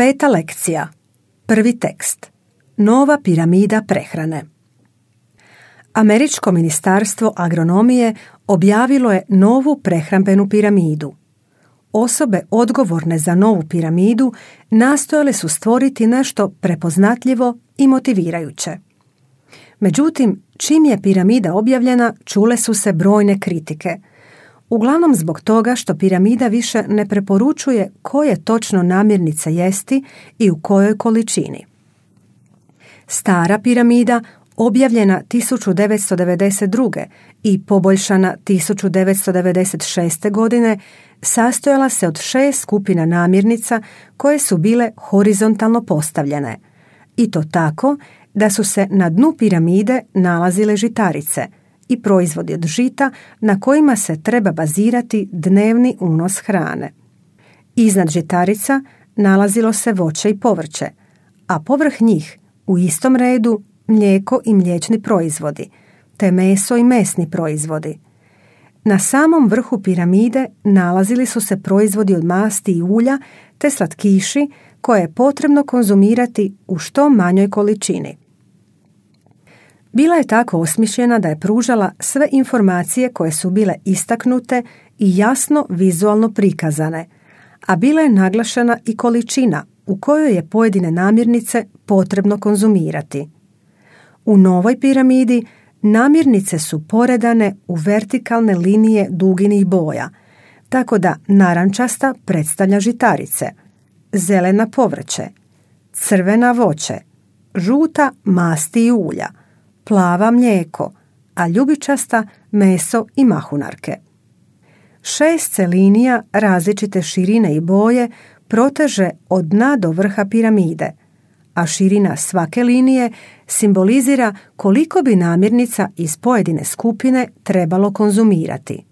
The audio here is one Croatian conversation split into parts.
5. lekcija. 1. tekst. Nova piramida prehrane. Američko ministarstvo agronomije objavilo je novu prehrambenu piramidu. Osobe odgovorne za novu piramidu nastojale su stvoriti nešto prepoznatljivo i motivirajuće. Međutim, čim je piramida objavljena, čule su se brojne kritike. Uglavnom zbog toga što piramida više ne preporučuje koje točno namirnice jesti i u kojoj količini. Stara piramida, objavljena 1992. i poboljšana 1996. godine, sastojala se od 6 skupina namirnica koje su bile horizontalno postavljene. I to tako da su se na dnu piramide nalazile žitarice i proizvodi od žita na kojima se treba bazirati dnevni unos hrane. Iznad žitarica nalazilo se voće i povrće, a povrh njih u istom redu mlijeko i mliječni proizvodi, te meso i mesni proizvodi. Na samom vrhu piramide nalazili su se proizvodi od masti i ulja te slatkiši koje je potrebno konzumirati u što manjoj količini. Bila je tako osmišljena da je pružala sve informacije koje su bile istaknute i jasno vizualno prikazane, a bila je naglašena i količina u kojoj je pojedine namirnice potrebno konzumirati. U novoj piramidi namirnice su poredane u vertikalne linije duginih boja, tako da narančasta predstavlja žitarice, zelena povrće, crvena voće, žuta masti i ulja, plava mlijeko, a ljubičasta meso i mahunarke. 6 se linija različite širine i boje proteže od dna do vrha piramide, a širina svake linije simbolizira koliko bi namirnica iz pojedine skupine trebalo konzumirati.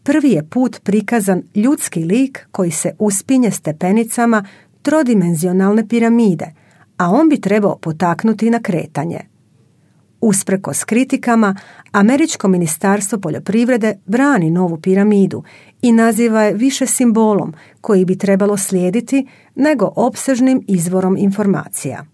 Prvi je put prikazan ljudski lik koji se uspinje stepenicama trodimenzionalne piramide, a on bi trebao potaknuti na kretanje. Usprkos kritikama, Američko ministarstvo poljoprivrede brani novu piramidu i naziva je više simbolom koji bi trebalo slijediti nego opsežnim izvorom informacija.